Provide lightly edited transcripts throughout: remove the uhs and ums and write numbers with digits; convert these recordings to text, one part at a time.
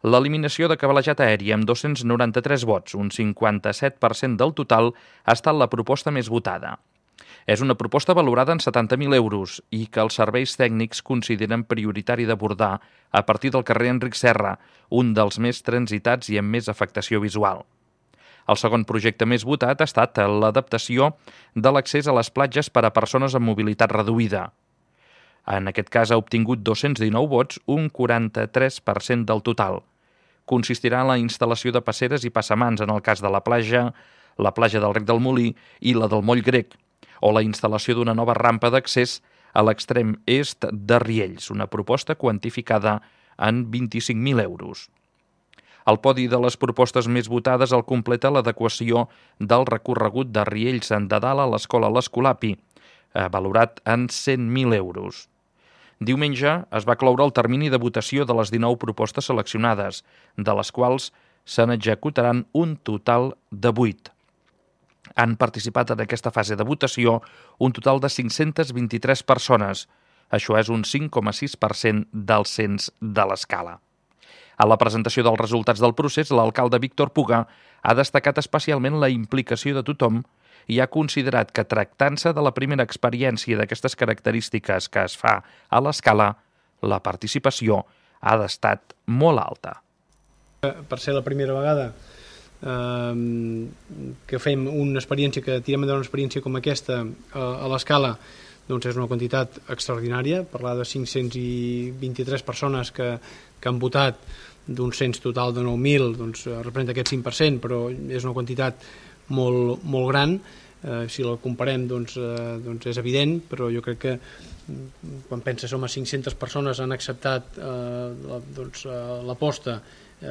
L'eliminació de cablejat aeri amb 293 vots, un 57% del total, ha estat la proposta més votada. És una proposta valorada en 70.000 euros i que els serveis tècnics consideren prioritari d'abordar a partir del carrer Enric Serra, un dels més transitats i amb més afectació visual. El segon projecte més votat ha estat l'adaptació de l'accés a les platges per a persones amb mobilitat reduïda. En aquest cas ha obtingut 219 vots, un 43% del total. Consistirà en la instal·lació de passeres i passamans en el cas de la platja del Rec del Molí i la del Moll Grec, o la instal·lació d'una nova rampa d'accés a l'extrem est de Riells, una proposta quantificada en 25.000 euros. El podi de les propostes més votades el completa l'adequació del recorregut de Riells de Dalt a l'escola l'Escolapi, valorat en 100.000 euros. Diumenge es va cloure el termini de votació de les 19 propostes seleccionades, de les quals se n'executaran un total de 8. Han participat en aquesta fase de votació un total de 523 persones. Això és un 5,6% del cens de l'escala. A la presentació dels resultats del procés, l'alcalde Víctor Puga ha destacat especialment la implicació de tothom i ha considerat que, tractant-se de la primera experiència d'aquestes característiques que es fa a l'escala, la participació ha d'estat molt alta. Per ser la primera vegada que fem una experiència, que tirem endavant una experiència com aquesta a l'escala, doncs és una quantitat extraordinària. Parlar de 523 persones que han votat d'un cens total de 9.000, doncs representa aquest 5%, però és una quantitat molt gran. Si la comparem doncs és evident, però jo crec que quan penses som a 500 persones han acceptat l'aposta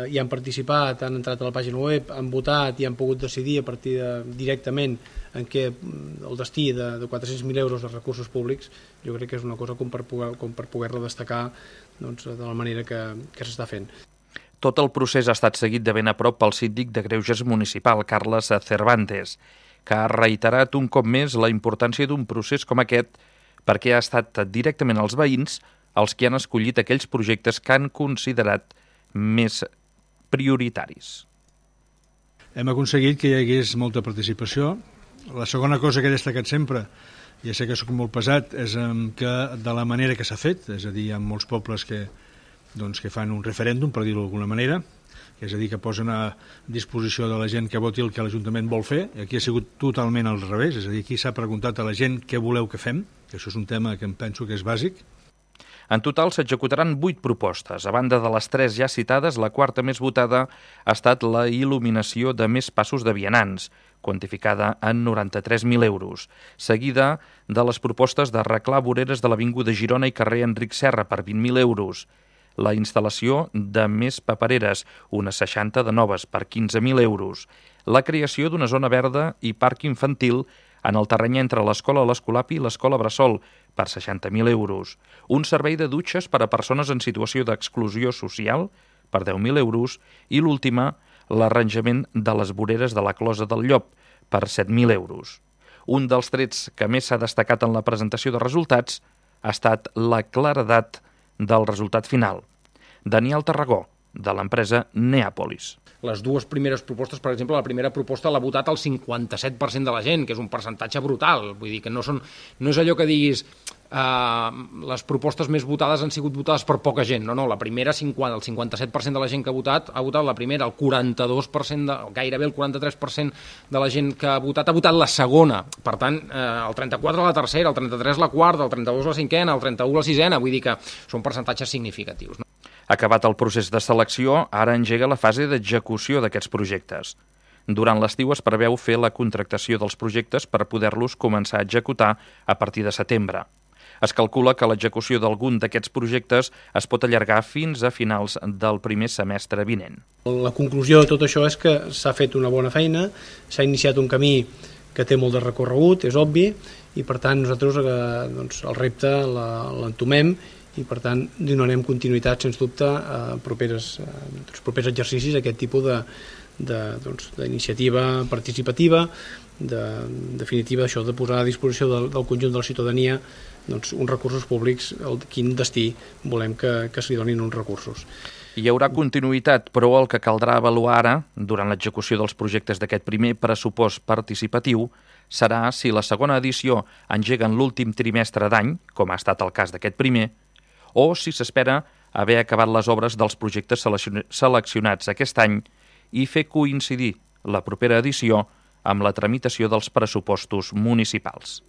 i han participat, han entrat a la pàgina web, han votat i han pogut decidir a partir directament en què el destí de 400.000 euros de recursos públics, jo crec que és una cosa com per poder-la destacar de la manera que s'està fent. Tot el procés ha estat seguit de ben a prop pel síndic de Greuges municipal, Carles Cervantes, que ha reiterat un cop més la importància d'un procés com aquest perquè ha estat directament els veïns els que han escollit aquells projectes que han considerat més prioritaris. Hem aconseguit que hi hagués molta participació. La segona cosa que he destacat sempre, ja sé que soc molt pesat, és que de la manera que s'ha fet, és a dir, hi ha molts pobles que fan un referèndum, per dir-ho d'alguna manera, és a dir, que posen a disposició de la gent que voti el que l'Ajuntament vol fer. Aquí ha sigut totalment al revés, és a dir, aquí s'ha preguntat a la gent què voleu que fem, que això és un tema que em penso que és bàsic. En total s'executaran 8 propostes. A banda de les 3 ja citades, la quarta més votada ha estat la il·luminació de més passos de vianants, quantificada en 93.000 euros, seguida de les propostes d'arreglar voreres de l'Avinguda Girona i carrer Enric Serra per 20.000 euros, la instal·lació de més papereres, unes 60 de noves per 15.000 euros, la creació d'una zona verda i parc infantil en el terreny entre l'escola l'Escolapi i l'escola Bressol per 60.000 euros, un servei de dutxes per a persones en situació d'exclusió social per 10.000 euros i l'última, l'arranjament de les voreres de la Closa del Llop per 7.000 euros. Un dels trets que més s'ha destacat en la presentació de resultats ha estat la claredat del resultat final. Daniel Tarragó, de l'empresa Neàpolis. Les dues primeres propostes, per exemple, la primera proposta l'ha votat el 57% de la gent, que és un percentatge brutal. Vull dir que no és allò que diguis les propostes més votades han sigut votades per poca gent. No, la primera, el 57% de la gent que ha votat la primera, el 42%, gairebé el 43% de la gent que ha votat la segona. Per tant, el 34% la tercera, el 33% la quarta, el 32% la cinquena, el 31% la sisena. Vull dir que són percentatges significatius. Acabat el procés de selecció, ara engega la fase d'execució d'aquests projectes. Durant l'estiu es preveu fer la contractació dels projectes per poder-los començar a executar a partir de setembre. Es calcula que l'execució d'algun d'aquests projectes es pot allargar fins a finals del primer semestre vinent. La conclusió de tot això és que s'ha fet una bona feina, s'ha iniciat un camí que té molt de recorregut, és obvi, i per tant nosaltres el repte l'entomem i per tant donarem continuïtat sens dubte a propers exercicis a aquest tipus d'iniciativa participativa, definitiva això de posar a disposició del conjunt de la ciutadania uns recursos públics, quin destí volem que s'hi donin uns recursos. Hi haurà continuïtat, però el que caldrà avaluar ara, durant l'execució dels projectes d'aquest primer pressupost participatiu, serà si la segona edició engega en l'últim trimestre d'any, com ha estat el cas d'aquest primer, o si s'espera haver acabat les obres dels projectes seleccionats aquest any i fer coincidir la propera edició amb la tramitació dels pressupostos municipals.